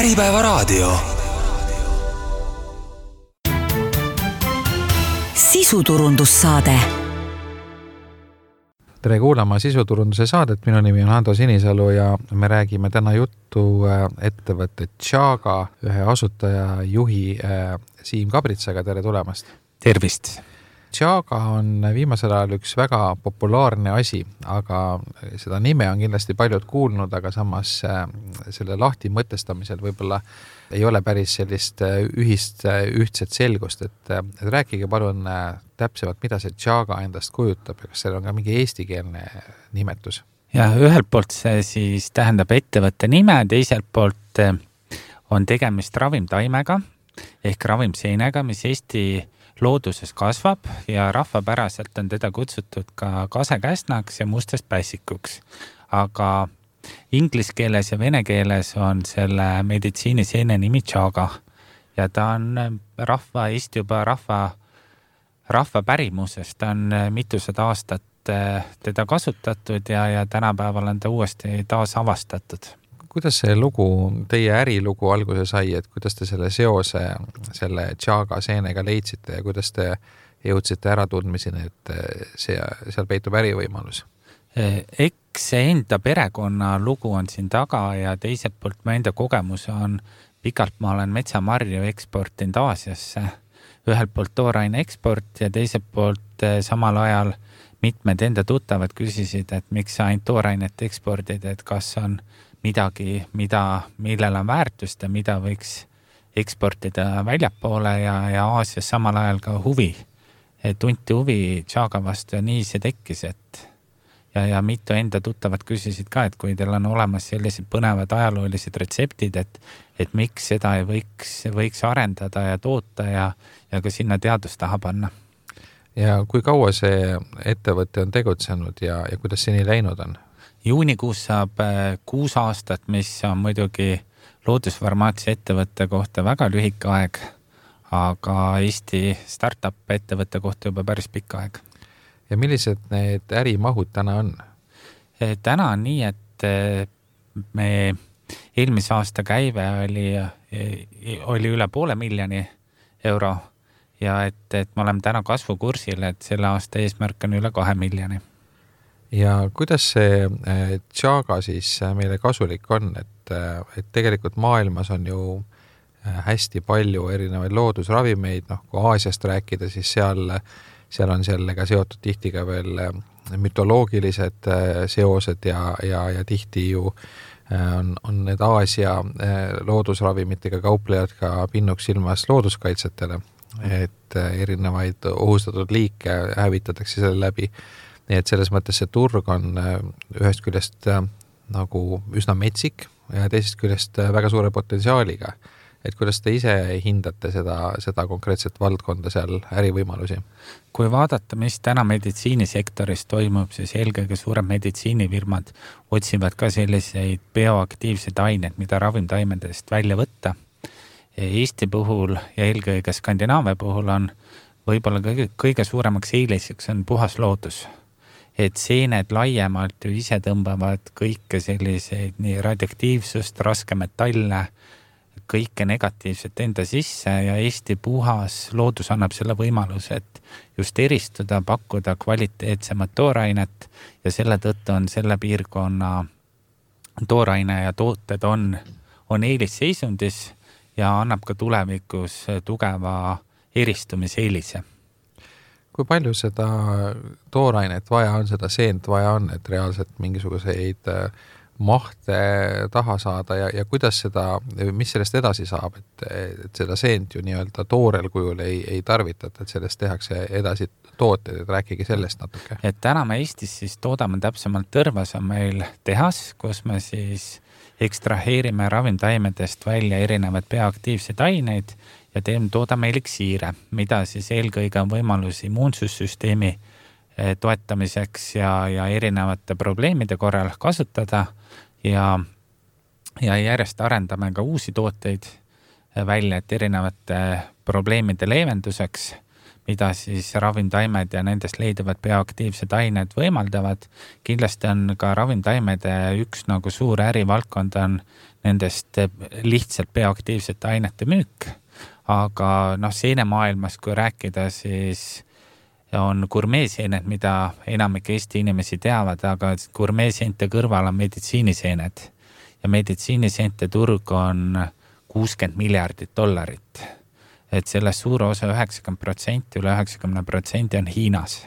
Äripäevaraadio. Sisuturundussaade. Tere kuulama sisuturunduse saadet, minu nimi on Hando Sinisalu ja me räägime täna juttu ettevõtte Tšaga ühe asutaja juhi Siim Kabritsaga. Tere tulemast! Tervist! Tšaga on viimasel ajal üks väga populaarne asi, aga seda nime on kindlasti paljud kuulnud, aga samas selle lahti mõtestamisel võib-olla ei ole päris sellist ühtset selgust, et rääkige palun täpsemalt, mida see Tšaga endast kujutab ja kas seal on ka mingi eestikeelne nimetus? Ja ühelt poolt see siis tähendab ettevõtte nime, teiselt poolt on tegemist ravimtaimega ehk ravimseenega, mis Eesti looduses kasvab ja rahvapäraselt on teda kutsutud ka kasekäsnaks ja mustast pässikuks. Aga inglis keeles ja vene keeles on selle meditsiiniseene nimi Tšaga ja ta on Eesti juba rahva pärimusest. Ta on mitusada aastat teda kasutatud ja tänapäeval on ta uuesti taas avastatud. Kuidas see lugu, teie ärilugu alguse sai, et kuidas te selle seose selle Tšaga seenega leidsite ja kuidas te jõudsite äratundmiseni, et seal peitub ärivõimalus? Eks enda perekonna lugu on siin taga ja teiselt poolt mu enda kogemus on pikalt ma olen metsamarju eksportinud Aasiasse. Ühelt poolt tooraine eksport ja teiselt poolt samal ajal mitmed enda tuttavad küsisid, et miks sa ainult toorainet ekspordid, et kas on midagi, millel on väärtust ja mida võiks eksportida väljapoole ja Aasias samal ajal ka huvi. Tunti huvi Tšaga vastu ja nii see tekkis, ja mitu enda tuttavad küsisid ka, et kui teil on olemas sellised põnevad ajaloolised retseptid, et miks seda ei võiks arendada ja toota ja ka sinna teadust taha panna. Ja kui kaua see ettevõte on tegutsenud ja kuidas seni läinud on? Juunikuus saab 6 aastat, mis on muidugi loodusfarmaatsia ettevõtte kohta väga lühike aeg, aga Eesti startup ettevõtte kohta juba päris pikk aeg. Ja millised need ärimahud täna on? Täna on nii, et me eelmise aasta käive oli üle 500,000 euro ja et me oleme täna kasvukursil, et selle aasta eesmärk on üle 2 miljoni. Ja kuidas see Tšaga siis meile kasulik on, et tegelikult maailmas on ju hästi palju erinevaid loodusravimeid, kui Aasiast rääkida, siis seal on sellega seotud tihti ka veel mütoloogilised seosed ja tihti ju on need Aasia loodusravimitega kauplejad ka pinnuks ilmas looduskaitsetele, et erinevaid ohustatud liike hävitatakse selle läbi. Nii et selles mõttes see turg on ühest küljest nagu üsna metsik ja teisest küljest väga suure potentsiaaliga. Et kuidas te ise hindate seda konkreetset valdkonda seal ärivõimalusi? Kui vaadata, mis täna meditsiinisektoris toimub, siis eelkõige suured meditsiinifirmad otsivad ka selliseid bioaktiivseid aineid, mida ravimtaimedest välja võtta. Eesti puhul ja eelkõige Skandinaavia puhul on võib-olla kõige suuremaks eeliseks on puhas loodus. Et seened laiemalt ju ise tõmbavad kõike selliseid nii radioaktiivsust, raske metalle, kõike negatiivset enda sisse ja Eesti puhas loodus annab selle võimaluse, et just eristuda, pakkuda kvaliteetsemat toorainet ja selle tõttu on selle piirkonna tooraine ja tooted on eelisseisundis ja annab ka tulevikus tugeva eristumiseelise. Kui palju seda toorainet vaja on, seda seent vaja on, et reaalselt mingisuguseid mahte taha saada ja kuidas mis sellest edasi saab, et seda seent ju nii-öelda toorel kujul ei tarvitata, et sellest tehakse edasi tooted, et rääkige sellest natuke. Et täna me Eestis siis toodame täpsemalt Tõrvas on meil tehas, kus me siis ekstraheerime ravimtaimedest välja erinevad bioaktiivsed aineid ja toodame eliksiire, mida siis eelkõige on võimalus immuunsussüsteemi toetamiseks ja erinevate probleemide korral kasutada ja järjest arendame ka uusi tooteid välja, et erinevate probleemide leevenduseks mida siis ravimtaimed ja nendest leiduvad bioaktiivsed ained võimaldavad. Kindlasti on ka ravimtaimede üks nagu suur ärivaldkond on nendest lihtsalt bioaktiivsete ainete müük, aga seenemaailmas, kui rääkida, siis on gurmeeseened, mida enamik Eesti inimesi teavad, aga gurmeeseente kõrval on meditsiiniseened ja meditsiiniseente turg on $60 miljardit. Et sellest suur osa 90%, üle 90% on Hiinas.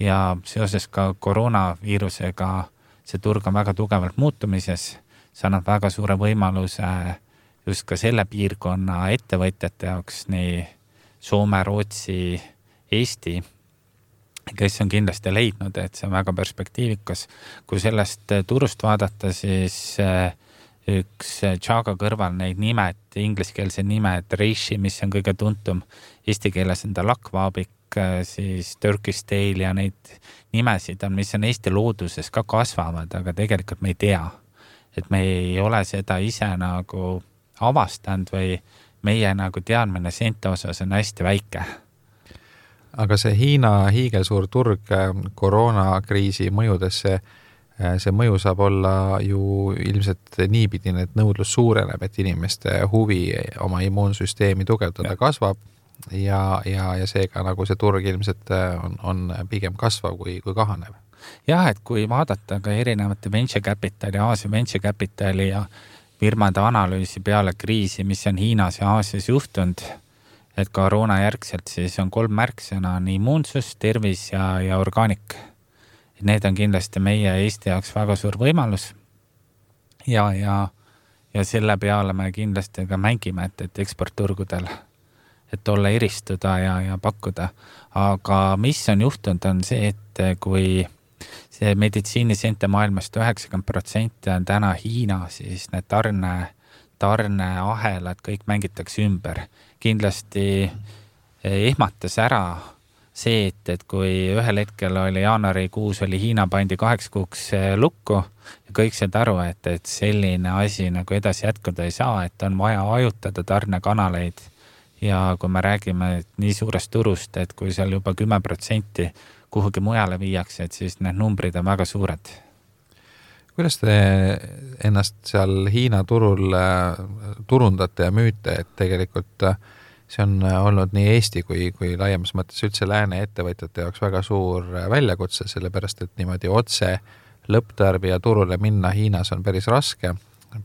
Ja seoses ka koroonaviirusega see turg on väga tugevalt muutumises. See annab väga suure võimaluse just ka selle piirkonna ettevõtjate jaoks, nii Soome, Rootsi, Eesti, kes on kindlasti leidnud, et see on väga perspektiivikas. Kui sellest turust vaadata, siis üks Chaga kõrval neid nimed, ingliskeelse nimed, Reishi, mis on kõige tuntum, eesti keeles on ta lakvaabik, siis Turkish Tale ja neid nimesid on, mis on Eesti looduses ka kasvavad, aga tegelikult me ei tea, et me ei ole seda ise nagu avastanud või meie nagu teadmine seente osas on hästi väike. Aga see Hiina hiigelsuur turg koroonakriisi mõjudesse, see mõju saab olla ju ilmselt niipidine, et nõudlus suureneb, et inimeste huvi oma immuunsüsteemi tugevdada kasvab ja seega nagu see turg ilmselt on pigem kasvav kui kahanev. Jah, et kui vaadata ka erinevate venture capitali, Aasia venture capitali ja firmade analüüsi peale kriisi, mis on Hiinas ja Aasias juhtunud, et koroona järgselt siis on 3 märksõna, on immuunsus, tervis ja orgaanik. Need on kindlasti meie Eesti jaoks väga suur võimalus ja selle peale me kindlasti ka mängime, et eksportturgudel, et olla eristuda ja pakkuda. Aga mis on juhtunud on see, et kui see meditsiiniseente maailmast 90% on täna Hiina, siis need tarneahelad kõik mängitakse ümber. Kindlasti ehmatas ära see, et kui ühel hetkel oli jaanuarikuus oli Hiina pandi 8 kuuks lukku ja kõik said aru, et selline asi nagu edasi jätkuda ei saa, et on vaja ajutada tarnekanaleid ja kui me räägime nii suurest turust, et kui seal juba 10% kuhugi mujale viiakse, et siis need numbrid on väga suured. Kuidas te ennast seal Hiina turul turundate ja müüte, et tegelikult see on olnud nii Eesti kui laiemas mõttes üldse lääne ettevõtjate jaoks väga suur väljakutse, sellepärast et niimoodi otse lõpptarbija turule minna Hiinas on päris raske,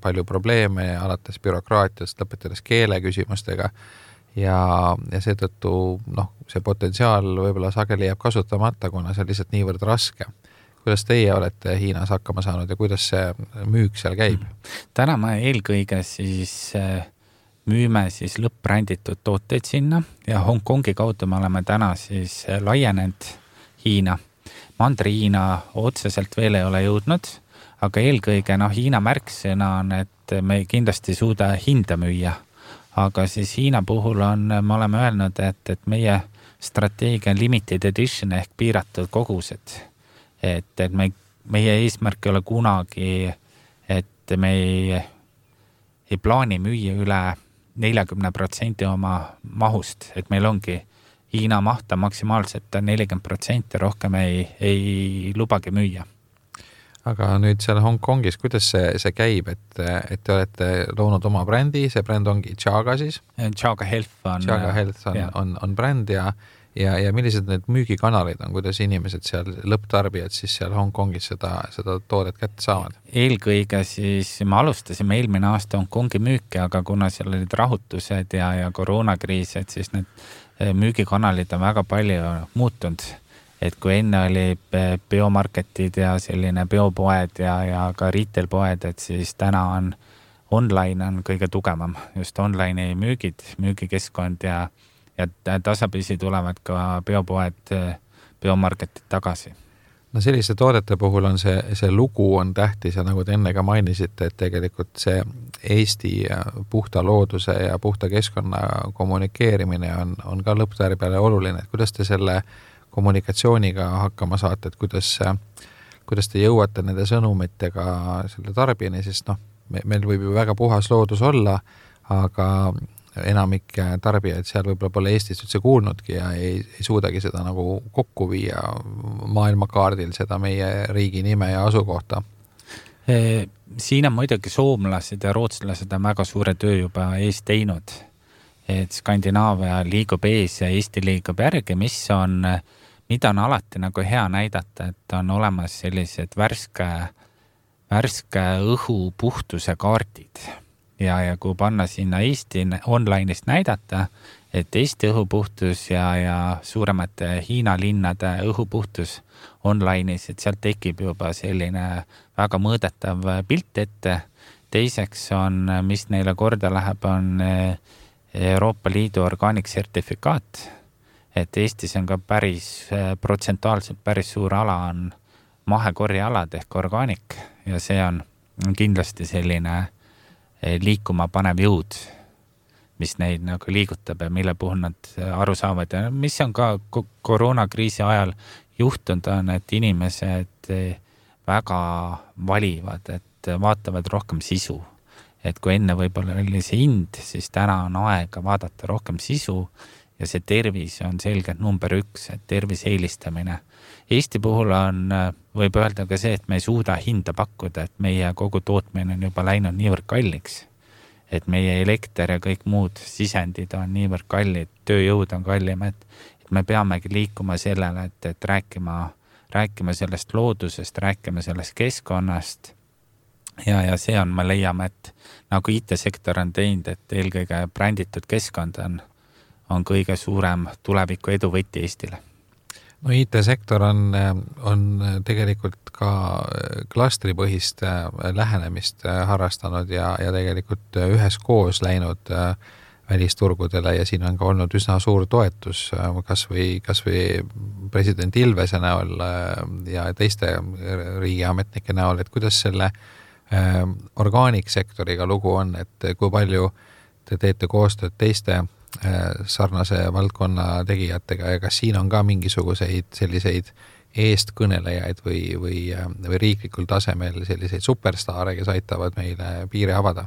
palju probleeme alates bürokraatiast, lõpetades keele küsimustega ja seetõttu see potentsiaal võib-olla sageli jääb kasutamata, kuna see on lihtsalt niivõrd raske. Kuidas teie olete Hiinas hakkama saanud ja kuidas see müük seal käib? Täna me eelkõige siis müüme siis lõppränditud tooteid sinna ja Hongkongi kaudu me oleme täna siis laienenud Hiina. Mandri-Hiina otseselt veel ei ole jõudnud, aga eelkõige Hiina märksõna on, et me kindlasti ei suuda hinda müüa. Aga siis Hiina puhul me oleme öelnud, et meie strateegia on limited edition ehk piiratud kogused. Et meie eesmärk ei ole kunagi, et me ei plaani müüa üle 40% oma mahust, et meil ongi Hiina mahta maksimaalselt 40%, rohkem ei lubagi müüa. Aga nüüd seal Hongkongis, kuidas see käib, et te olete loonud oma brändi, see bränd ongi Chaga siis? Chaga Health on bränd ja millised need müügikanalid on, kuidas inimesed seal, lõpptarbijad siis seal Hongkongis seda toodet kätte saavad? Eelkõige siis me alustasime eelmine aasta Hongkongi müüki, aga kuna seal olid rahutused ja koroonakriis, et siis need müügikanalid on väga palju muutunud. Et kui enne oli biomarketid ja selline biopoed ja ka retailpoed, et siis täna on online on kõige tugevam, just online'i müügikeskkond ja tasapisi tulevad ka biopoed, biomarketid tagasi. No selliste toodete puhul on see lugu on tähtis ja nagu te enne ka mainisite, et tegelikult see Eesti puhta looduse ja puhta keskkonna kommunikeerimine on ka lõpptarbijale oluline, et kuidas te selle kommunikatsiooniga hakkama saate, et kuidas te jõuate nende sõnumitega selle tarbijani, sest meil võib ju väga puhas loodus olla, aga enamik tarbijaid seal võib-olla pole Eestist üldse kuulnudki ja ei suudagi seda nagu kokku viia maailmakaardil seda meie riigi nime ja asukohta. Siin on muidugi soomlased ja rootslased on väga suure töö juba ees teinud, et Skandinaavia liigub ees ja Eesti liigub järgi, mida on alati nagu hea näidata, et on olemas sellised värske õhu puhtuse kaardid ja kui panna sinna Eesti online'ist näidata, et Eesti õhupuhtus ja suuremate Hiina linnade õhupuhtus online'is, et sealt tekib juba selline väga mõõdetav pilt ette. Teiseks on, mis neile korda läheb, on Euroopa Liidu orgaaniksertifikaat, et Eestis on ka protsentuaalselt päris suur ala on mahekorjealad ehk orgaanik ja see on kindlasti selline liikuma panev jõud, mis neid nagu liigutab ja mille puhul nad aru saavad ja mis on ka koroonakriisi ajal juhtunud on, et inimesed väga valivad, et vaatavad rohkem sisu. Et kui enne võib-olla oli see hind, siis täna on aega vaadata rohkem sisu ja see tervis on selgelt number 1, et tervise eelistamine. Eesti puhul võib öelda ka see, et me ei suuda hinda pakkuda, et meie kogu tootmine on juba läinud niivõrd kalliks, et meie elekter ja kõik muud sisendid on niivõrd kallid, tööjõud on kallim, et me peamegi liikuma sellele, et rääkima sellest loodusest, rääkima sellest keskkonnast ja see on, me leiame, et nagu IT-sektor on teinud, et eelkõige bränditud keskkond on kõige suurem tuleviku eduvõti Eestile. No IT-sektor on tegelikult ka klastripõhist lähenemist harrastanud ja tegelikult üheskoos läinud välisturgudele ja siin on ka olnud üsna suur toetus kas või president Ilvese näol ja teiste riigiametnike näol, et kuidas selle orgaaniksektoriga lugu on, et kui palju te teete koostööd teiste sarnase valdkonna tegijatega ja kas siin on ka mingisuguseid selliseid eestkõnelejaid või riiklikul tasemel selliseid superstaare, kes aitavad meile piire avada?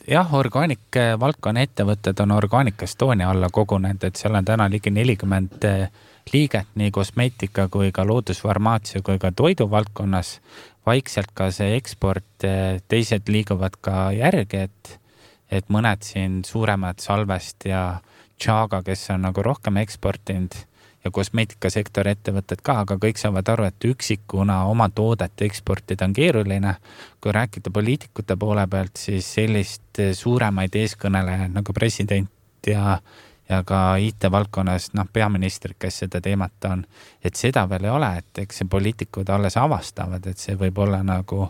Jah, orgaanikvaldkonna ettevõtted on Organic Estonia alla kogunenud, et seal on täna ligi 40 liiget nii kosmeetika kui ka loodusfarmaatsia kui ka toidu valdkonnas. Vaikselt ka see eksport, teised liiguvad ka järgi, et mõned siin suuremad Salvest ja Chaga, kes on nagu rohkem eksportinud ja kosmeetikasektori ettevõtted ka, aga kõik saavad aru, et üksikuna oma toodet eksportida on keeruline. Kui rääkida poliitikute poole pealt, siis sellist suuremaid eeskõnelejaid nagu president ja ka IT-valdkonnas peaministrid, kes seda teemat on, et seda veel ei ole, et eks see poliitikud alles avastavad, et see võib olla nagu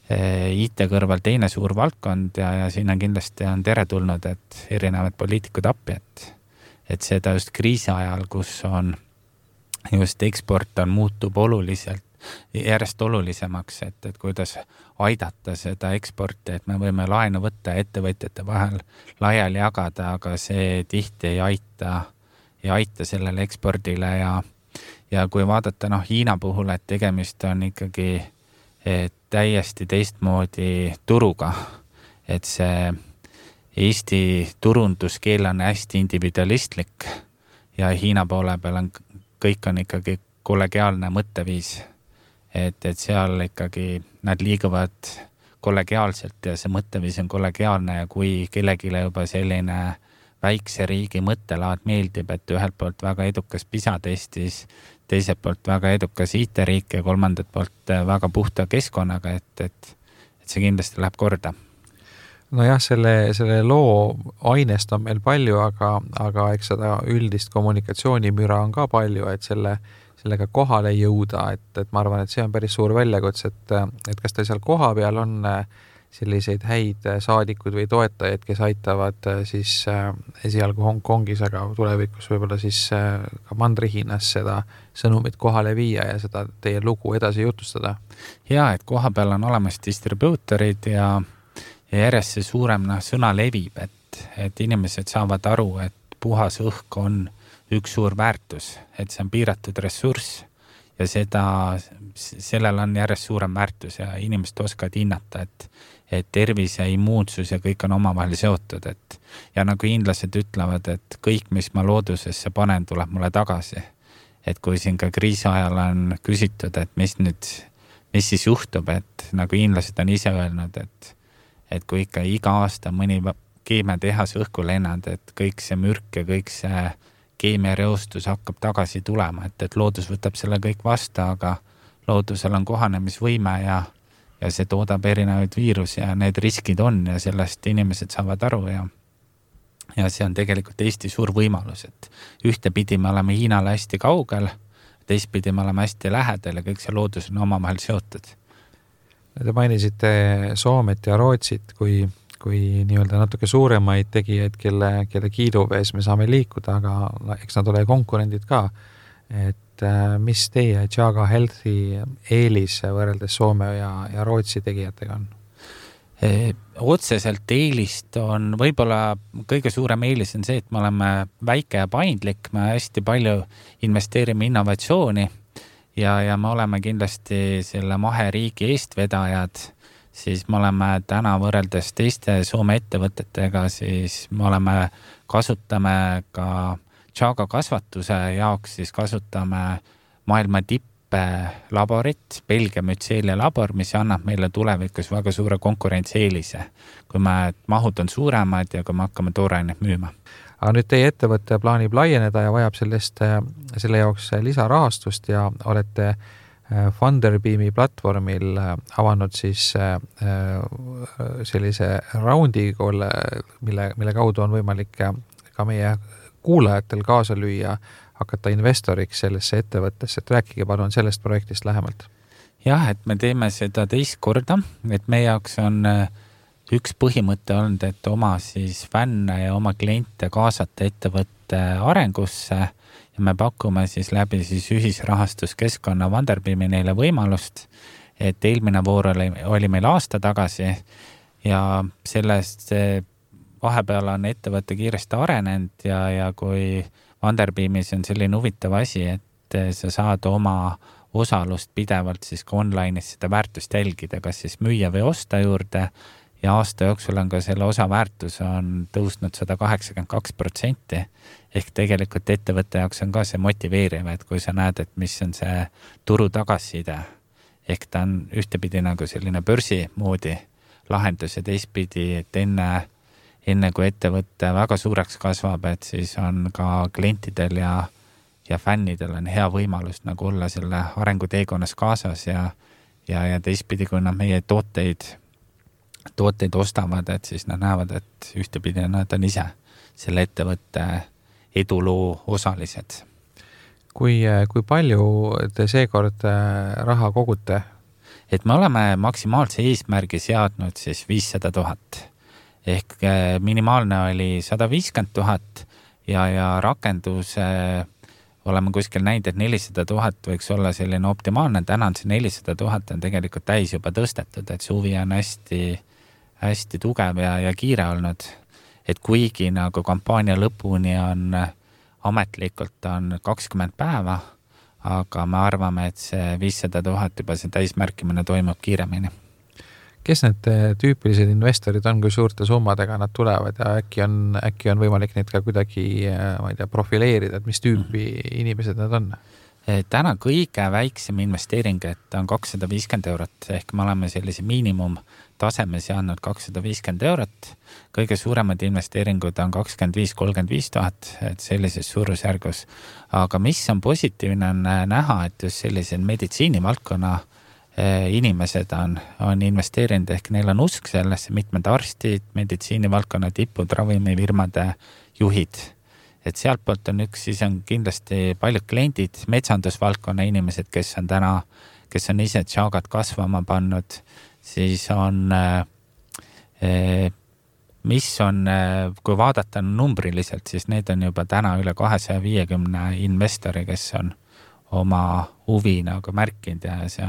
IT kõrval teine suur valdkond ja siin on kindlasti teretulnud, et erinevad poliitikud appi, et seda just kriisi ajal, kus on just eksport muutub järjest olulisemaks, et kuidas aidata seda eksporti, et me võime laenu võtta ettevõtjate vahel laiali jagada, aga see tihti ei aita sellele ekspordile ja kui vaadata Hiina puhul, et tegemist on ikkagi täiesti teistmoodi turuga, et see Eesti turunduskeel on hästi individualistlik ja Hiina poole peal kõik on ikkagi kollegiaalne mõtteviis, et seal ikkagi nad liiguvad kollegiaalselt ja see mõtteviis on kollegiaalne ja kui kellegile juba selline väikse riigi mõttelaad meeldib, et ühelt poolt väga edukas PISA-testis, teiselt poolt väga edukas IT-riik ja kolmandat poolt väga puhta keskkonnaga, et see kindlasti läheb korda. Nojah, selle loo ainest on meil palju, aga eks seda üldist kommunikatsioonimüra on ka palju, et sellega kohale jõuda, et ma arvan, et see on päris suur väljakutse, et kas teil seal koha peal on selliseid häid saadikud või toetajaid, kes aitavad siis esialgu Hongkongis, aga tulevikus võib-olla siis ka Mandri-Hiinas seda sõnumit kohale viia ja seda teie lugu edasi jutustada? Ja, et koha peal on olemas distribuutorid ja järjest see suurem sõna levib, et inimesed saavad aru, et puhas õhk on üks suur väärtus, et see on piiratud ressurss ja sellel on järjest suurem väärtus ja inimesed oskavad hinnata, et tervis ja immuunsus ja kõik on omavahel seotud, ja nagu hiinlased ütlevad, et kõik, mis ma loodusesse panen, tuleb mulle tagasi. Et kui siin ka kriisi ajal on küsitud, et mis siis juhtub, et nagu hiinlased on ise öelnud, et kui ikka iga aasta mõni keemiatehas õhku lennad, et kõik see mürk ja kõik see keemiareostus hakkab tagasi tulema, et loodus võtab selle kõik vastu, aga loodusel on kohanemisvõime ja see toodab erinevaid viirusi ja need riskid on ja sellest inimesed saavad aru ja see on tegelikult Eesti suur võimalus, et ühtepidi me oleme Hiinale hästi kaugel, teistpidi me oleme hästi lähedal ja kõik see loodus on omavahel seotud. Te mainisite Soomet ja Rootsit kui nii-öelda natuke suuremaid tegijaid, kelle kiiduvees me saame liikuda, aga eks nad ole konkurendid ka. Et mis teie Chaga Healthi eelis võrreldes Soome ja Rootsi tegijatega on? Otseselt eelist on võib-olla kõige suurem eelis on see, et me oleme väike ja paindlik, me hästi palju investeerime innovatsiooni ja me oleme kindlasti selle maheriigi eestvedajad, siis me oleme täna võrreldes teiste Soome ettevõtetega, siis me kasutame ka Chaga kasvatuse jaoks, siis kasutame maailma tipplaborit, Belgia mütseelia labor, mis annab meile tulevikus väga suure konkurentsieelise, kui mahud on suuremad ja kui me hakkame toorainet müüma. Aga nüüd teie ettevõte plaanib laieneda ja vajab selle jaoks lisarahastust ja olete Funderbeami platvormil avanud siis sellise raundi, mille kaudu on võimalik ka meie kuulajatel kaasa lüüa, hakata investoriks sellesse ettevõttesse, et rääkige palun sellest projektist lähemalt. Jah, et me teeme seda teist korda, et meie jaoks on üks põhimõte olnud, et oma siis fänne ja oma kliente kaasata ettevõtte arengusse ja me pakume siis läbi siis ühisrahastuskeskkonna Funderbeami neile võimalust, et eelmine voor oli meil aasta tagasi ja sellest vahepeal on ettevõtte kiiresti arenenud ja kui Funderbeamis on selline huvitav asi, et sa saad oma osalust pidevalt siis ka online'is seda väärtust jälgida, kas siis müüa või osta juurde ja aasta jooksul on ka selle osa väärtus on tõusnud 182%, ehk tegelikult ettevõtte jaoks on ka see motiveeriv, et kui sa näed, et mis on see turu tagasiside, ehk ta on ühtepidi nagu selline börsi moodi lahendus ja teistpidi, et enne kui ettevõtte väga suureks kasvab, et siis on ka klientidel ja fännidel on hea võimalus nagu olla selle arenguteekonnas kaasas ja teistpidi, kui nad meie tooteid ostavad, et siis nad näevad, et ühtepidi nad on ise selle ettevõtte eduloo osalised. Kui palju te seekord raha kogute? Et me oleme maksimaalse eesmärgi seadnud siis 500 000. Ehk minimaalne oli 150 000 ja rakendus oleme kuskil näinud, et 400 000 võiks olla selline optimaalne. Täna on see 400 000 on tegelikult täis juba tõstetud, et see huvi on hästi tugev ja kiire olnud. Et kuigi nagu kampaania lõpuni on ametlikult on 20 päeva, aga me arvame, et see 500 000 juba see täismärkimine toimub kiiremini. Kes need tüüpilised investorid on, kui suurte summadega nad tulevad ja äkki on võimalik neid ka kuidagi profileerida, et mis tüüpi inimesed nad on? Täna kõige väiksem investeering, et on 250 €, ehk me oleme sellise miinimumtaseme seadnud 250 €. Kõige suuremad investeeringud on 25-35 000, et sellises suurusjärgus. Aga mis on positiivne on näha, et just sellised meditsiinivaldkonna inimesed on investeerinud, ehk neil on usk sellesse, mitmed arstid, meditsiinivaldkonna tipud, ravimifirmade juhid. Et sealt poolt on siis on kindlasti paljud kliendid, metsandusvaldkonna inimesed, kes on ise Chagat kasvama pannud, siis kui vaadata numbriliselt, siis need on juba täna üle 250 investori, kes on oma huvi nagu märkinud ja see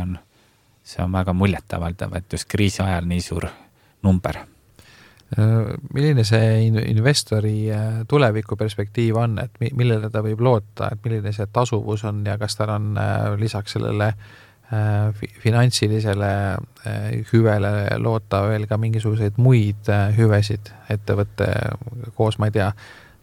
on väga muljetavaldav, et just kriisi ajal nii suur number. Milline see investori tulevikuperspektiiv on, et millele ta võib loota, et milline see tasuvus on ja kas tal on lisaks sellele finantsilisele hüvele loota veel ka mingisuguseid muid hüvesid ettevõtte koos, ma ei tea,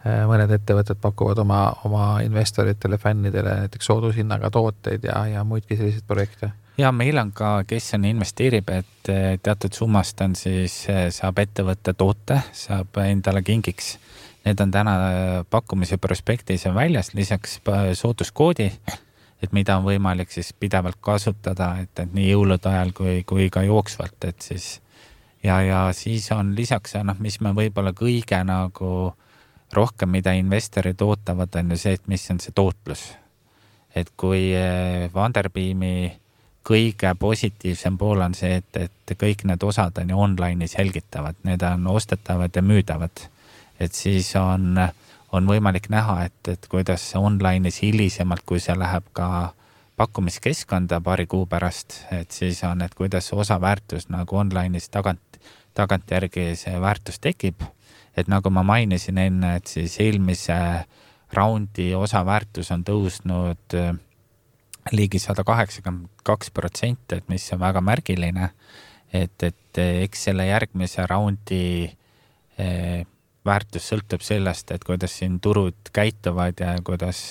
mõned ettevõtted pakuvad oma investoritele, fännidele näiteks soodushinnaga tooteid ja muidki selliseid projekte. Ja meil on ka, kes on investeerib, et teatud summast on siis, saab ettevõtte toote, saab endale kingiks. Need on täna pakkumise prospektis on väljas, lisaks sooduskoodi, et mida on võimalik siis pidevalt kasutada, et nii jõulude ajal kui ka jooksvalt, et siis ja siis on lisaks, mis me võib-olla kõige nagu rohkem, mida investorid ootavad, on ju see, et mis on see tootlus. Et kui Funderbeami kõige positiivsem pool on see, et kõik need osad on ju online'is jälgitavad, need on ostetavad ja müüdavad. Et siis on võimalik näha, et kuidas online'is hilisemalt, kui see läheb ka pakkumiskeskkonda paari kuu pärast, et siis on, et kuidas osa väärtus nagu online'is tagantjärgi see väärtus tekib. Et nagu ma mainisin enne, et siis eelmise raundi osa väärtus on tõusnud ligi 182%, et mis on väga märgiline, et eks selle järgmise raundi väärtus sõltub sellest, et kuidas siin turud käituvad ja kuidas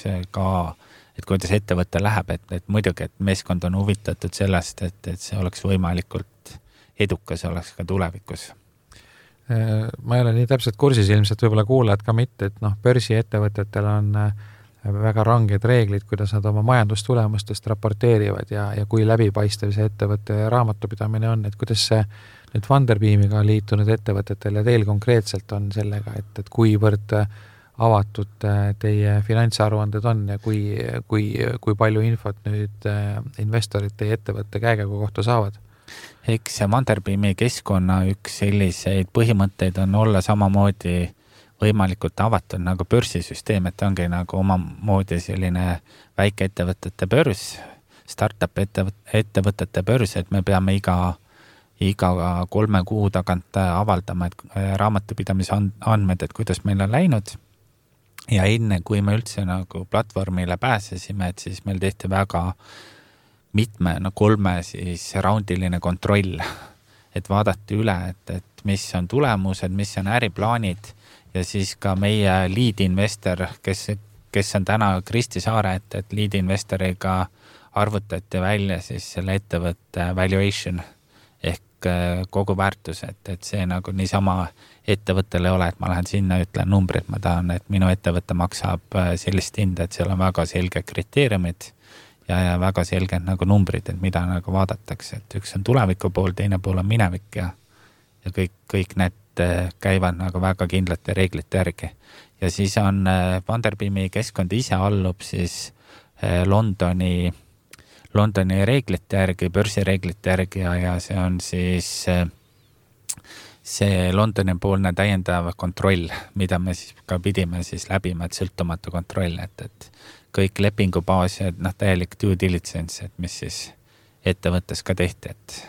ettevõte läheb, et muidugi, et meeskond on huvitatud sellest, et see oleks võimalikult edukas, oleks ka tulevikus. Ma ei ole nii täpselt kursis, ilmselt võib-olla kuulajad ka mitte, et börsiettevõtetel on väga ranged reeglid, kuidas nad oma majandustulemustest raporteerivad ja kui läbipaistev see ettevõtte raamatupidamine on, et kuidas see nüüd Funderbeamiga liitunud ettevõtetel ja teil konkreetselt on sellega, et kuivõrd avatud teie finantsaruanded on ja kui palju infot nüüd investorid teie ettevõtte käekäigu kohta saavad? Eks Funderbeami keskkonna üks selliseid põhimõtteid on olla samamoodi võimalikult avatud nagu börsisüsteem, et ongi nagu omamoodi selline väikeettevõtete börs, startup ettevõtete börs, et me peame iga 3 kuu tagant avaldama raamatupidamise andmed, et kuidas meil on läinud. Ja enne, kui me üldse nagu platvormile pääsesime, et siis meil tehti väga 3 siis raundiline kontroll, et vaadati üle, et mis on tulemused, mis on äriplaanid ja siis ka meie lead investor, kes on täna Kristi Saare, et lead investoriga arvutati välja siis selle ettevõtte valuation ehk kogu väärtus, et see nagu niisama ettevõttel ei ole, et ma lähen sinna, ütlen numbrid, ma tahan, et minu ettevõte maksab sellist hinda, et seal on väga selge kriteeriumid ja väga selged nagu numbrid, et mida nagu vaadatakse, et üks on tuleviku pool, teine pool on minevik ja kõik need käivad nagu väga kindlate reeglite järgi. Ja siis on Funderbeami keskkond ise allub siis Londoni reeglite järgi, börsireeglite järgi ja see on siis see Londoni poolne täiendav kontroll, mida me siis ka pidime siis läbima, et sõltumatu kontroll, et kõik lepingubaas ja täielik due diligence, et mis siis ettevõttes ka tehti, et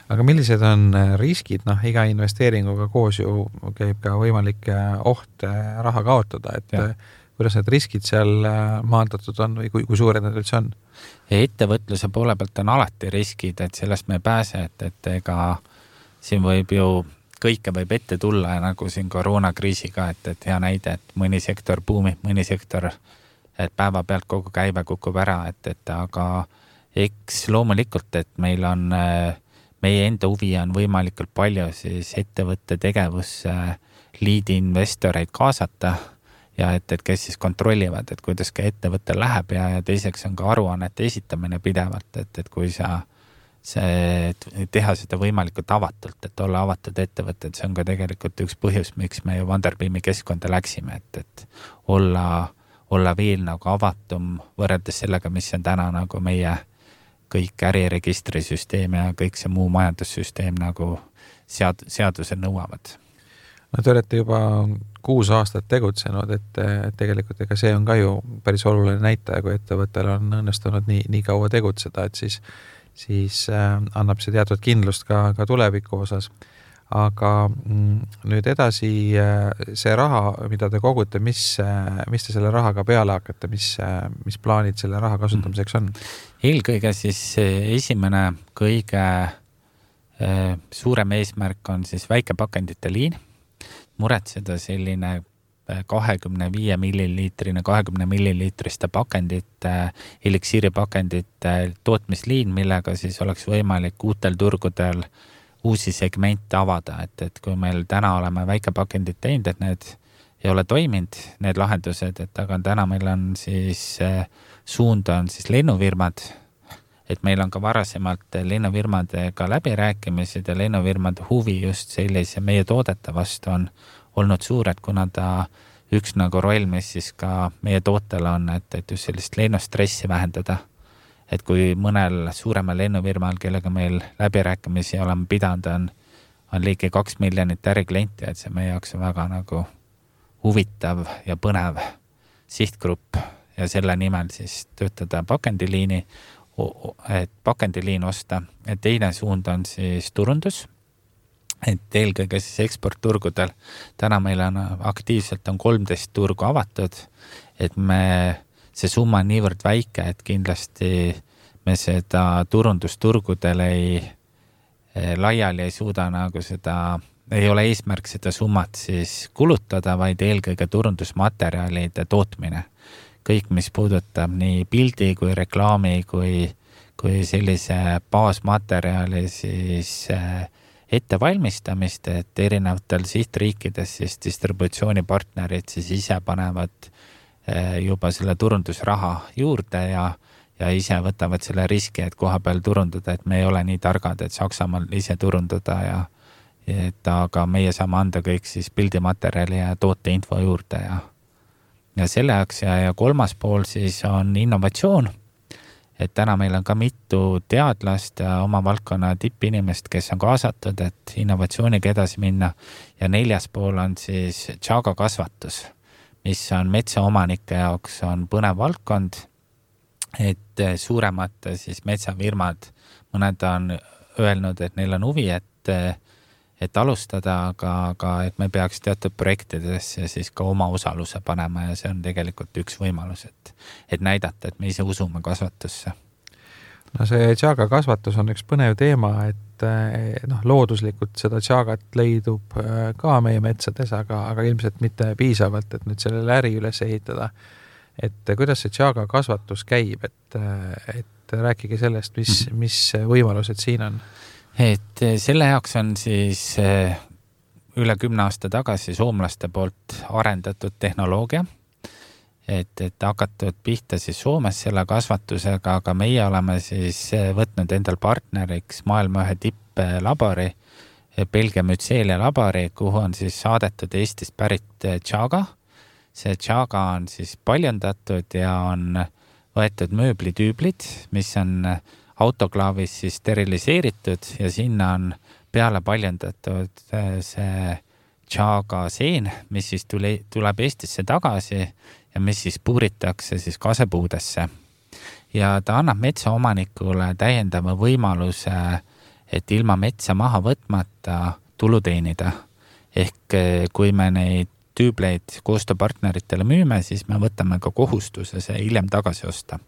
Aga millised on riskid? Iga investeeringuga koos ju käib ka võimalik oht raha kaotada, et kuidas need riskid seal maandatud on või kui suured need üldse on? Ettevõtluse poole pealt on alati riskid, et sellest me ei pääse, et ega siin võib ju kõike võib ette tulla nagu siin koroonakriisiga, et hea näide, et mõni sektor buumib, mõni sektor, et päeva pealt kogu käive kukub ära, aga eks loomulikult, et meil on meie enda huvi on võimalikult palju siis ettevõtte tegevusse liidi investoreid kaasata ja et kes siis kontrollivad, et kuidas ka ettevõttel läheb ja teiseks on ka aruannete esitamine pidevalt, et kui teha seda võimalikult avatult, et olla avatud ettevõtted, see on ka tegelikult üks põhjus, miks me ju Funderbeami keskkonda läksime, et olla veel nagu avatum võrreldes sellega, mis on täna nagu meie kõik äriregistrisüsteem ja kõik see muu majandussüsteem nagu seadused nõuavad. Te olete juba 6 aastat tegutsenud, et tegelikult ega see on ka ju päris oluline näitaja, kui ettevõttel on õnnestunud nii kaua tegutseda, et siis annab see teatud kindlust ka tuleviku osas. aga nüüd edasi see raha, mida te kogute, mis te selle rahaga peale hakkate, mis plaanid selle raha kasutamiseks on? Eelkõige siis esimene kõige suurem eesmärk on siis väikepakendite liin, muretseda selline 25 milliliitrine, 20 milliliitriste pakendite, eliksiiripakendite tootmisliin, millega siis oleks võimalik uutel turgudel uusi segmente avada, et kui meil täna oleme väikepakendid teinud, et need ei ole toiminud, need lahendused, et aga täna meil on siis suund on siis lennufirmad, et meil on ka varasemalt lennufirmadega läbirääkimised ja lennufirmade huvi just sellise meie toodete vastu on olnud suur, et kuna ta üks nagu roll, mis siis ka meie tootel on, et just sellist lennustressi vähendada. Et kui mõnel suuremal lennufirmal, kellega meil läbirääkimisi oleme pidanud, on ligi 2 miljonit äriklienti, et see meie jaoks on väga nagu huvitav ja põnev sihtgrupp ja selle nimel siis töötada pakendiliini, et pakendiliin osta. Et teine suund on siis turundus, et eelkõige siis eksportturgudel. Täna meil on aktiivselt on 13 turgu avatud, et see summa on niivõrd väike, et kindlasti me seda turundusturgudel laiali ei suuda nagu seda, ei ole eesmärk seda summat siis kulutada, vaid eelkõige turundusmaterjalide tootmine. Kõik, mis puudutab nii pildi kui reklaami kui sellise baasmaterjali siis ettevalmistamist, et erinevatel sihtriikides siis distributsioonipartnerid siis ise panevad juba selle turundusraha juurde ja ise võtavad selle riski, et koha peal turundada, et me ei ole nii targad, et Saksamaal ise turundada aga meie saame anda kõik siis pildimaterjali ja tooteinfo juurde ja selle jaoks ja kolmas pool siis on innovatsioon, et täna meil on ka mitu teadlast ja oma valdkonna tippinimest, kes on kaasatud, et innovatsiooniga edasi minna ja neljas pool on siis tšaaga kasvatus, mis on metsaomanike jaoks on põnev valdkond, et suuremad siis metsafirmad, mõned on öelnud, et neil on huvi, et alustada, aga et me peaks teatud projektidesse siis ka oma osaluse panema ja see on tegelikult üks võimalus, et näidata, et me ise usume kasvatusse. No see tšaaga kasvatus on üks põnev teema, et looduslikult seda tšaagat leidub ka meie metsades, aga ilmselt mitte piisavalt, et nüüd sellele äri üles ehitada. Et kuidas see tšaaga kasvatus käib, et rääkige sellest, mis võimalused siin on? Et selle jaoks on siis üle 10 aasta tagasi soomlaste poolt arendatud tehnoloogia, et hakatud pihta siis Soomes selle kasvatusega, aga meie oleme siis võtnud endal partneriks maailma ühe tipplabori, Belgia Mütseelia labori, kuhu on siis saadetud Eestist pärit tšaaga. See tšaaga on siis paljandatud ja on võetud mööblitüüblid, mis on autoklaavis siis steriliseeritud ja sinna on peale paljandatud see tšaaga seen, mis siis tuleb Eestisse tagasi ja mis siis puuritakse siis kasepuudesse. Ja ta annab metsaomanikule täiendava võimaluse, et ilma metsa maha võtmata tulu teenida. Ehk kui me neid tüübleid koostööpartneritele müüme, siis me võtame ka kohustuse see hiljem tagasi osta.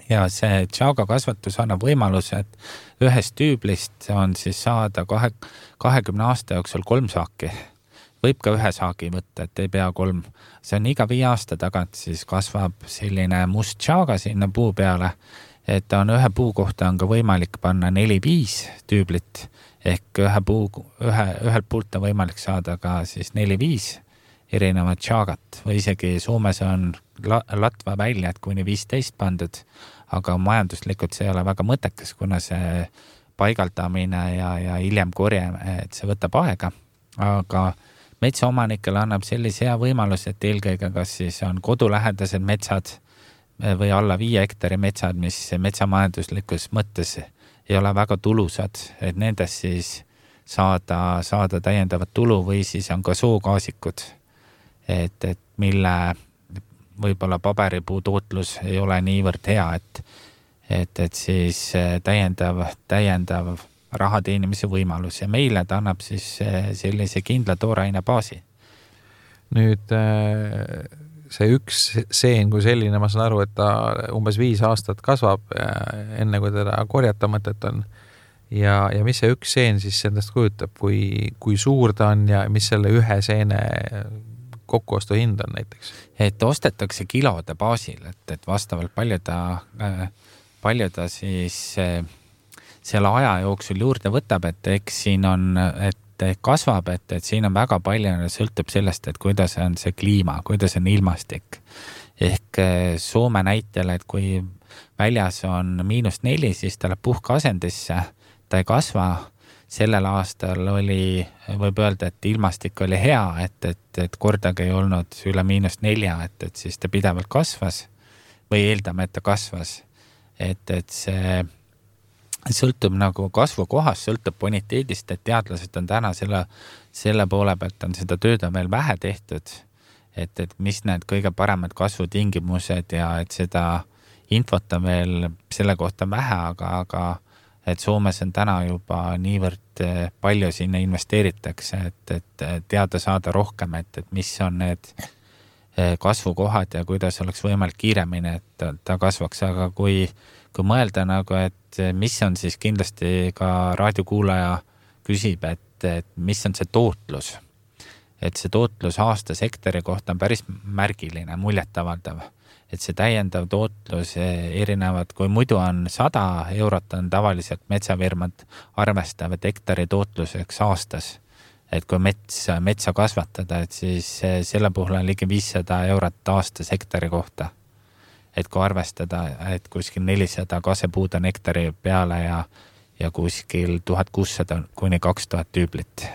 Ja see tšaaga kasvatus annab võimaluse, et ühest tüüblist on siis saada 20 aasta jooksul 3 saaki. Võib ka 1 saagi võtta, et ei pea 3. See on iga 5 aasta tagant siis kasvab selline must tšaaga sinna puu peale, et on ühe puu kohta on ka võimalik panna 4-5 tüüblit, ehk ühelt puult on võimalik saada ka siis 4-5 erinevat tšaagat või isegi Soomes on latva väljad kuni 15 pandud, aga majanduslikult see ei ole väga mõttekas, kuna see paigaldamine ja hiljem korje, et see võtab aega, aga metsaomanikele annab sellise hea võimalus, et eelkõige kas siis on kodulähedased metsad või alla 5 hektari metsad, mis metsamajanduslikus mõttes ei ole väga tulusad, et nendest siis saada täiendavat tulu või siis on ka soogaasikud, et mille võib-olla paberipuu tootlus ei ole niivõrd hea, et siis täiendav raha teenimise võimalus ja meile ta annab siis sellise kindla tooraine baasi. Nüüd see üks seen kui selline, ma saan aru, et ta umbes 5 aastat kasvab enne, kui teda korjata mõtet on. Ja mis see üks seen siis endast kujutab, kui suur ta on ja mis selle ühe seene kokkuostu hind on näiteks? Et ostetakse kilode baasil, et vastavalt palju ta siis selle aja jooksul juurde võtab, et eks siin on, et kasvab, et siin on väga palju, sõltub sellest, et kuidas on see kliima, kuidas on ilmastik. Ehk Soome näitel, et kui väljas on -4, siis ta läheb puhkeasendisse, ta ei kasva. Sellel aastal võib öelda, et ilmastik oli hea, et kordagi ei olnud üle -4, et siis ta pidevalt kasvas või eeldame, et ta kasvas. Et see sõltub nagu kasvukohast, sõltub boniteedist, et teadlased on täna selle poole pealt on seda tööd on veel vähe tehtud, et mis need kõige paremad kasvutingimused ja et seda infot on veel selle kohta vähe, aga et Soomes on täna juba niivõrd palju sinna investeeritakse, et teada saada rohkem, et mis on need kasvukohad ja kuidas oleks võimalik kiiremini, et ta kasvaks, aga kui mõelda nagu, et mis on siis kindlasti ka raadiokuulaja küsib, et mis on see tootlus, et see tootlus aastasektori kohta on päris märgiline, muljetavaldav. Et see täiendav tootlus erinevad, kui muidu on 100 eurot, on tavaliselt metsafirmad arvestavad hektari tootluseks aastas. Et kui metsa kasvatada, et siis selle puhul on ligi 500 eurot aastas hektari kohta. Et kui arvestada, et kuskil 400 kasepuud on hektari peale ja kuskil 1600 kuni 2000 tüüblit.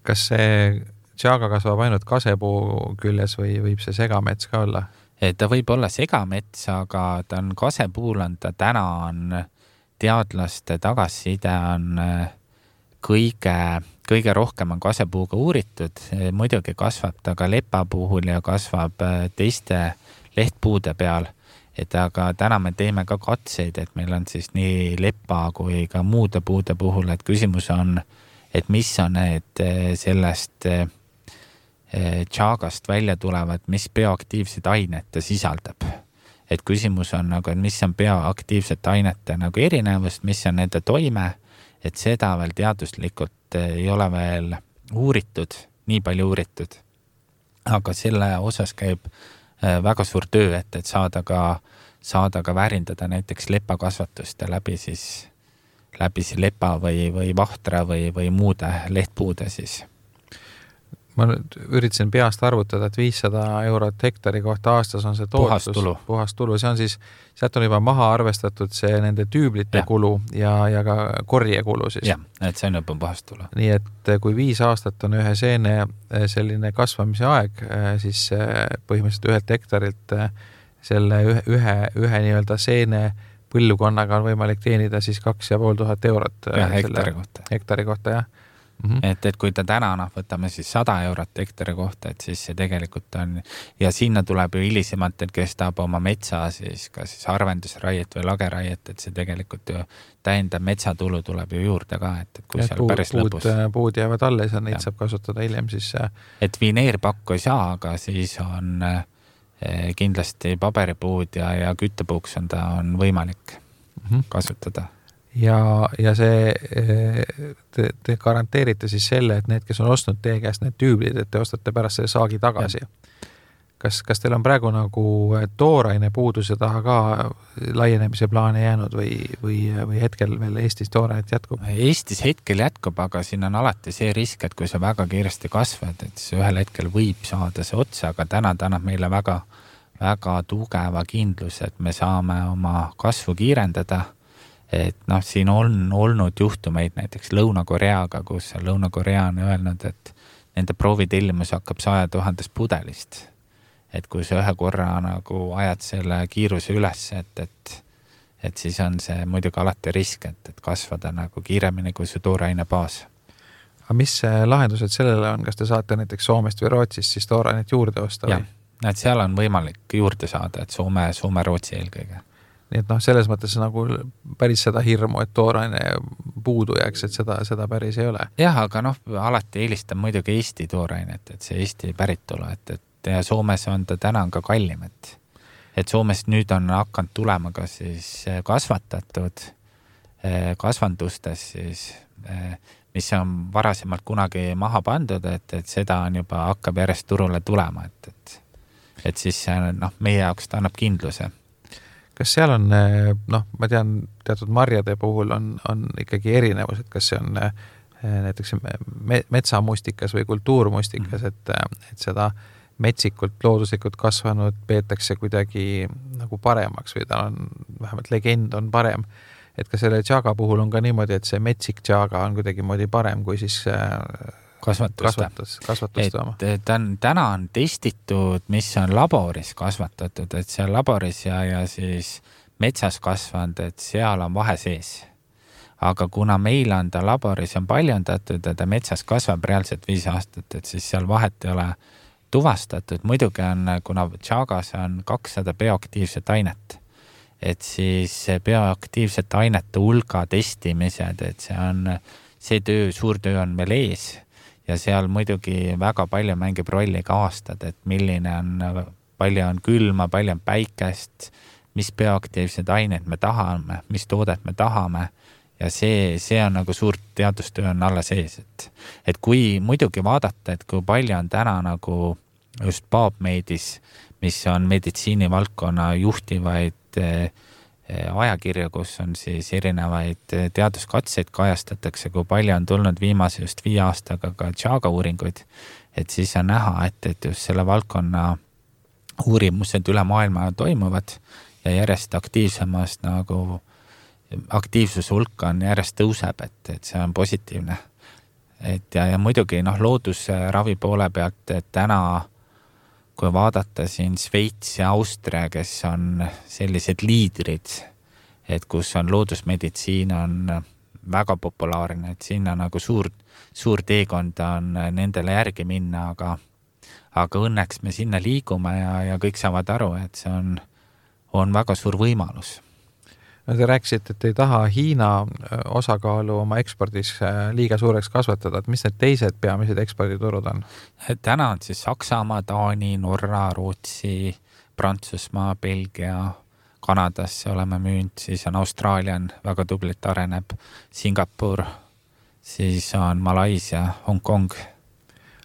Kas see Tšaaga kasvab ainult kasepuu küljes või võib see segamets ka olla? Ta võib olla segamets, aga ta on kasepuul on ta täna on teadlaste tagasiside on kõige rohkem on kasepuuga uuritud. Muidugi kasvab ta ka lepa puhul ja kasvab teiste lehtpuude peal. Aga täna me teeme ka katseid, et meil on siis nii lepa kui ka muude puude puhul, et küsimus on, et mis on need sellest Tšaagast välja tulevad, mis bioaktiivsed ainet ta sisaldab. Et küsimus on nagu, et mis on bioaktiivsete ainete nagu erinevust, mis on nende toime, et seda veel teaduslikult ei ole veel uuritud, nii palju uuritud. Aga selle osas käib väga suur töö, et saada ka väärindada näiteks lepakasvatuste läbi lepa või vahtra või muude lehtpuude siis. Ma nüüd üritasin peast arvutada, et 500 eurot hektari kohta aastas on see tootlus. Puhas tulu. See on siis, sealt on juba maha arvestatud see nende tüüblite kulu ja ka korjekulu siis. Ja, et see on juba puhas tulu. Nii et kui 5 aastat on ühe seene selline kasvamise aeg, siis põhimõtteliselt 1 hektarilt selle ühe nii-öelda seene põllukonnaga on võimalik teenida siis 2500 eurot hektari kohta, jah. Et kui ta täna võtame siis 100 eurot hektari kohta, et siis see tegelikult on ja sinna tuleb ju hilisemalt, et kes tahab oma metsa siis ka siis arvendusraiet või lageraiet, et see tegelikult ju täiendab metsatulu tuleb ju juurde ka, et kui seal päris lõpus puud jäävad alles ja neid saab kasutada hiljem siis et vineerpakku ei saa, aga siis on kindlasti paberipuud ja küttepuuks on võimalik kasutada. Ja see te garanteerite siis selle, et need, kes on ostnud teie käest need tüüblid, et te ostate pärast selle saagi tagasi. Kas teil on praegu nagu tooraine puuduse taha ka laienemise plaane jäänud või hetkel veel Eestis toorainet jätkub? Eestis hetkel jätkub, aga siin on alati see risk, et kui sa väga kiiresti kasvad, et see ühel hetkel võib saada see otsa, aga täna annab meile väga, väga tugeva kindlus, et me saame oma kasvu kiirendada. Et siin on olnud juhtumeid näiteks Lõuna-Koreaga, kus Lõuna-Korea on öelnud, et nende proovitellimus hakkab 100 000 pudelist. Et kui sa ühe korra nagu ajad selle kiiruse üles, et siis on see muidugi alati risk, et kasvada nagu kiiremini kui see tooraine baas. Aga mis lahendused sellele on? Kas te saate näiteks Soomest või Rootsist siis toorainet juurde osta? Jah, et seal on võimalik juurde saada, et Soome, Rootsi eelkõige. nii et selles mõttes nagu päris seda hirmu, et tooraine puudu jääks, et seda päris ei ole. Jah, aga alati eelistan muidugi Eesti toorainet, et see Eesti päritolu, et ja Soomes on ta täna ka kallim, et Soomes nüüd on hakanud tulema ka siis kasvatatud kasvandustes siis, mis on varasemalt kunagi maha pandud, et seda on juba hakkab järjest turule tulema, et siis meie jaoks ta annab kindluse. Kas seal on, ma tean, teatud marjade puhul on ikkagi erinevus, et kas see on näiteks metsamustikas või kultuurmustikas, et seda metsikult, looduslikult kasvanud peetakse kuidagi nagu paremaks või ta on, vähemalt legend on parem. Et ka selle tšaaga puhul on ka niimoodi, et see metsik tšaaga on kuidagi moodi parem kui siis kasvatuste oma. Täna on testitud, mis on laboris kasvatatud, et seal laboris ja siis metsas kasvanud, et seal on vahe sees. Aga kuna meil on ta laboris on paljundatud ja ta metsas kasvab reaalselt 5 aastat, et siis seal vahet ei ole tuvastatud. Muidugi on, kuna tšaagas on 200 bioaktiivset ainet, et siis bioaktiivsete ainete hulga testimised, et see suur töö on veel ees. Ja seal muidugi väga palju mängib rolli ka aastad, et milline on, palju on külma, palju on päikest, mis bioaktiivsed ained me tahame, mis toodet me tahame ja see on nagu suur teadustöö on alla sees. Et kui muidugi vaadata, et kui palju on täna nagu just PubMedis, mis on meditsiinivaldkonna juhtivaid ajakirju, kus on siis erinevaid teaduskatseid kajastatakse, kui palju on tulnud viimase just 5 aastaga ka tšaaga uuringuid, et siis on näha, et just selle valdkonna uurimused üle maailma toimuvad ja järjest aktiivsemast nagu aktiivsuse hulk on järjest tõuseb, et see on positiivne. Ja muidugi loodusravi poole pealt, et täna kui vaadata siin Sveits ja Austria, kes on sellised liidrid, et kus on loodusmeditsiin on väga populaarne, et sinna nagu suur teekond on nendele järgi minna, aga õnneks me sinna liigume ja kõik saavad aru, et see on väga suur võimalus. Te rääkisite, et ei taha Hiina osakaalu oma ekspordis liiga suureks kasvatada, et mis need teised peamised eksporditurud on? Täna on siis Saksamaa, Taani, Norra, Rootsi, Prantsusmaa, Belgia, Kanadasse oleme müünud, siis on Austraalia väga tublit areneb, Singapur, siis on Malaisia, Hongkong.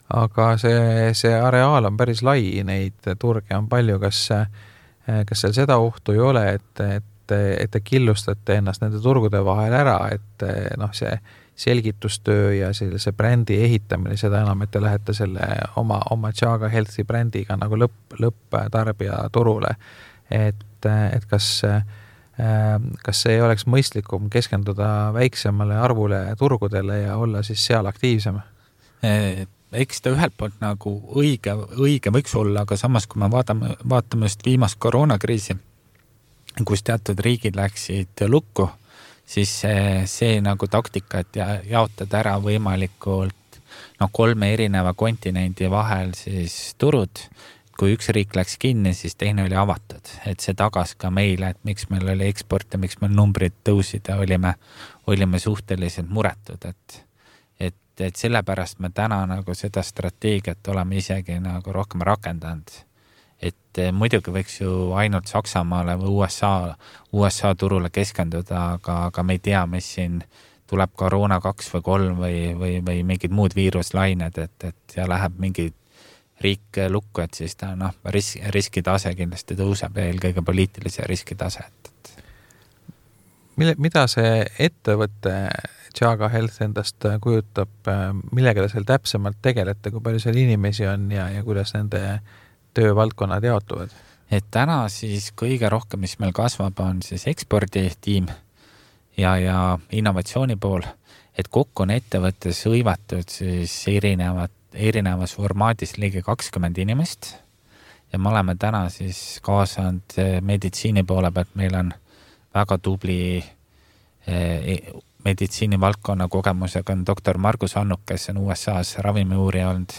Aga see areaal on päris lai, neid turge on palju, kas seal seda ohtu ei ole, et te killustate ennast nende turgude vahel ära, et see selgitustöö ja see brändi ehitamine, seda enam, et te lähete selle oma Tšaaga Healthi brändiga nagu lõpptarbija turule. Et kas see ei oleks mõistlikum keskenduda väiksemale arvule turgudele ja olla siis seal aktiivsem? Eks ta ühelt poolt nagu õige võiks olla, aga samas kui me vaatame just viimast koroonakriisi, kus teatud riigid läksid lukku, siis see nagu taktika, et jaotada ära võimalikult 3 erineva kontinendi vahel siis turud. Kui üks riik läks kinni, siis teine oli avatud, et see tagas ka meile, et miks meil oli eksport ja miks meil numbrid tõusid ja olime suhteliselt muretud, et sellepärast me täna nagu seda strateegiat oleme isegi nagu rohkem rakendanud. Et muidugi võiks ju ainult Saksamaale või USA turule keskenduda, aga me ei tea, mis siin tuleb koroona 2 või 3 või mingid muud viiruslained, et ja läheb mingi riik lukku, et siis ta riskitase kindlasti tõuseb ja eelkõige poliitilise riskitase. Mida see ettevõtte Tšaaga Health endast kujutab, millega te seal täpsemalt tegelete, kui palju seal inimesi on ja kuidas nende töövaldkonnad jaotuvad? Et täna siis kõige rohkem, mis meil kasvab, on siis eksporditiim ja innovatsiooni pool, et kokku on ettevõttes hõivatud siis erinevas formaadis ligi 20 inimest ja me oleme täna siis kaasanud meditsiini poole pealt, meil on väga tubli meditsiinivaldkonna kogemusega on doktor Margus Annuk, kes on USA-s ravimiuurija olnud,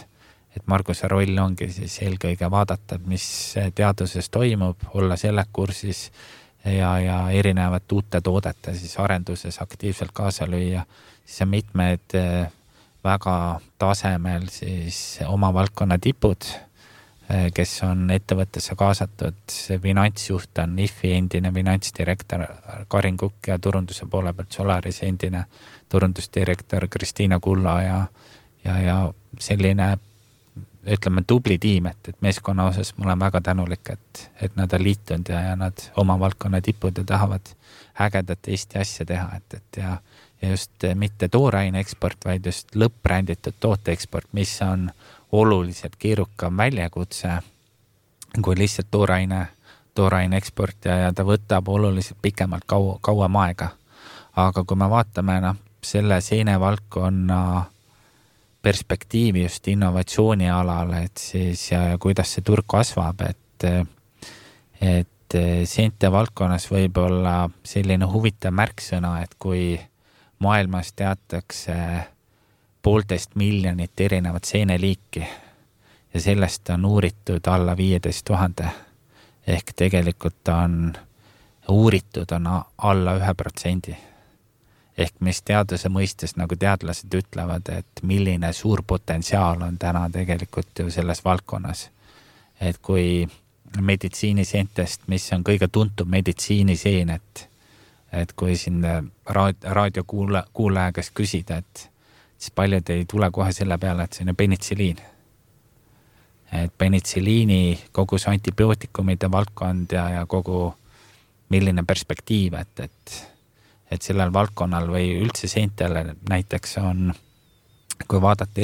et Marguse roll ongi siis eelkõige vaadata, mis teaduses toimub, olla selle kursis, ja erinevate uute toodete siis arenduses aktiivselt kaasa lüüa, siis on mitmed väga tasemel siis oma valdkonna tipud, kes on ettevõttesse kaasatud. Finantsjuht on IFI endine finantsdirektor Karin Kukk ja turunduse poole pealt Solaris endine turundusdirektor Kristiina Kulla ja selline, ütleme, tubli tiim, et meeskonna osas ma olen väga tänulik, et nad on liitunud ja nad oma valdkonna tipud ja tahavad ägedat Eesti asja teha, ja just mitte tooraine eksport, vaid just lõppränditud toote eksport, mis on oluliselt keerukam väljakutse kui lihtsalt tooraine eksport ja ta võtab oluliselt pikemalt kauem aega. Aga kui me vaatame selle seenevaldkonna perspektiivi just innovatsiooni alal, et siis ja kuidas see turg kasvab, et seente valdkonnas võib olla selline huvitav märksõna, et kui maailmas teatakse 1,5 miljonit erinevat seeneliiki ja sellest on uuritud alla 15 000 ehk tegelikult on uuritud alla 1%. Ehk mis teaduse mõistes, nagu teadlased ütlevad, et milline suur potentsiaal on täna tegelikult ju selles valdkonnas. Et kui meditsiiniseentest, mis on kõige tuntum meditsiiniseen, et kui siin raadiokuulaja käest küsida, et siis paljud ei tule kohe selle peale, et see on penitsiliin. Et penitsiliini kogu see antibiootikumide valdkond ja kogu milline perspektiiv, et sellel valdkonnal või üldse seentele näiteks on, kui vaadata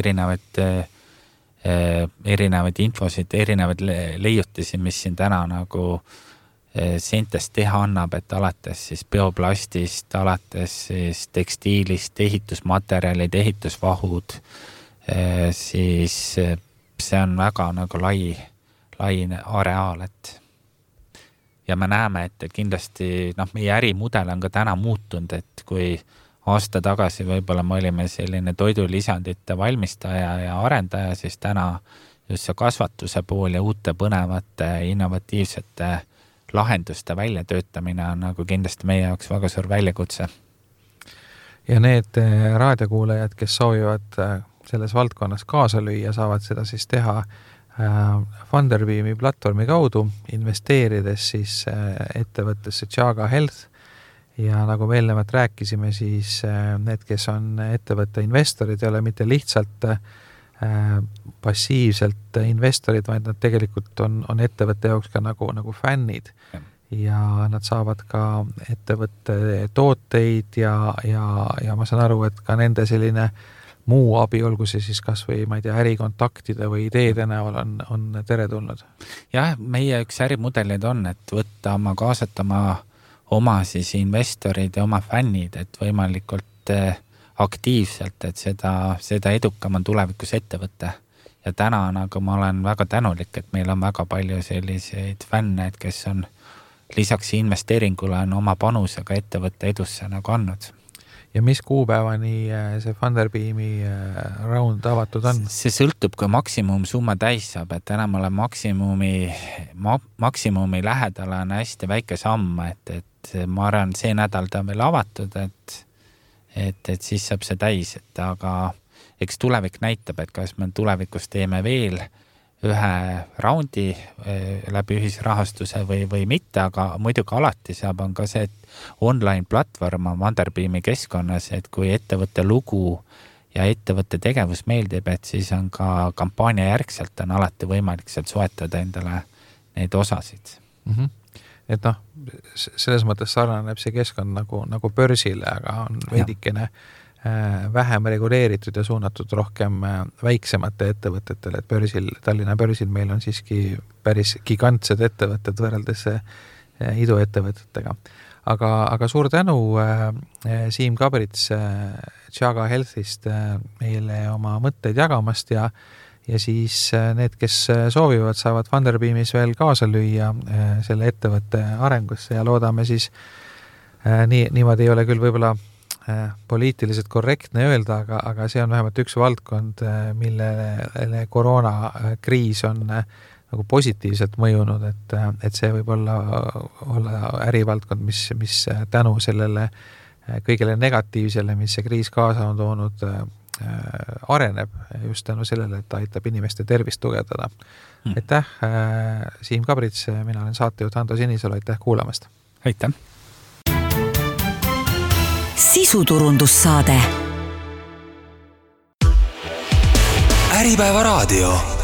erinevaid infosid, erinevaid leiutisi, mis siin täna nagu seentest teha annab, et alates siis bioplastist, alates siis tekstiilist, ehitusmaterjalid, ehitusvahud, siis see on väga nagu lai areaal, ja me näeme, et kindlasti meie ärimudel on ka täna muutunud, et kui aasta tagasi võib-olla me olime selline toidulisandite valmistaja ja arendaja, siis täna just see kasvatuse pool ja uute põnevate innovatiivsete lahenduste väljatöötamine on nagu kindlasti meie jaoks väga suur väljakutse. Ja need raadiokuulajad, kes soovivad selles valdkonnas kaasa lüüa, saavad seda siis teha Funderbeami platvormi kaudu, investeerides siis ettevõttesse Chaga Health ja nagu me eelnevalt rääkisime, siis need, kes on ettevõtte investorid, ei ole mitte lihtsalt passiivselt investorid, vaid nad tegelikult on ettevõtte jaoks ka nagu fännid ja nad saavad ka ettevõtte tooteid ja ma saan aru, et ka nende selline muu abi, olgu see siis kas või, ma ei tea, ärikontaktide või ideede näol on teretulnud. Jah, meie üks ärimudelid on, et võtta kaasata oma siis investorid ja oma fännid, et võimalikult aktiivselt, et seda edukam on tulevikus ettevõtte. Ja täna nagu ma olen väga tänulik, et meil on väga palju selliseid fänne, kes on lisaks investeeringule on oma panusega ettevõtte edusse nagu andnud. Ja mis kuupäevani see Funderbeami round avatud on? See sõltub, kui maksimumsumma täis saab, et täna ma olen maksimumi lähedal on hästi väike samm, et ma arvan, see nädal ta on veel avatud, et siis saab see täis, aga eks tulevik näitab, et kas me tulevikus teeme veel ühe raundi läbi ühisrahastuse või mitte, aga muidugi alati saab on ka see, et online platvorm on Funderbeami keskkonnas, et kui ettevõtte lugu ja ettevõtte tegevus meeldib, et siis on ka kampaania järgselt on alati võimalik sealt soetada endale neid osasid. Et selles mõttes sarnaneb see keskkond nagu börsile, aga on veidikene vähem reguleeritud ja suunatud rohkem väiksemate ettevõtetele, et Tallinna börsil meil on siiski päris gigantsed ettevõtted võrreldes iduettevõtetega. Aga suur tänu Siim Kabrits Chaga Healthist meile oma mõtteid jagamast ja siis need, kes soovivad, saavad Funderbeamis veel kaasa lüüa selle ettevõtte arengusse ja loodame siis, niimoodi ei ole küll võib-olla poliitiliselt korrektne öelda, aga see on vähemalt üks valdkond, millele koroonakriis on nagu positiivselt mõjunud, et see võib olla ärivaldkond, mis tänu sellele kõigele negatiivsele, mis see kriis kaasa on toonud, areneb just tänu sellele, et aitab inimeste tervist tugevdada. Aitäh, Siim Kabrits, mina olen saatejuht Ando Sinisalu, aitäh kuulamast! Aitäh! Sisuturundussaade. Äripäeva raadio.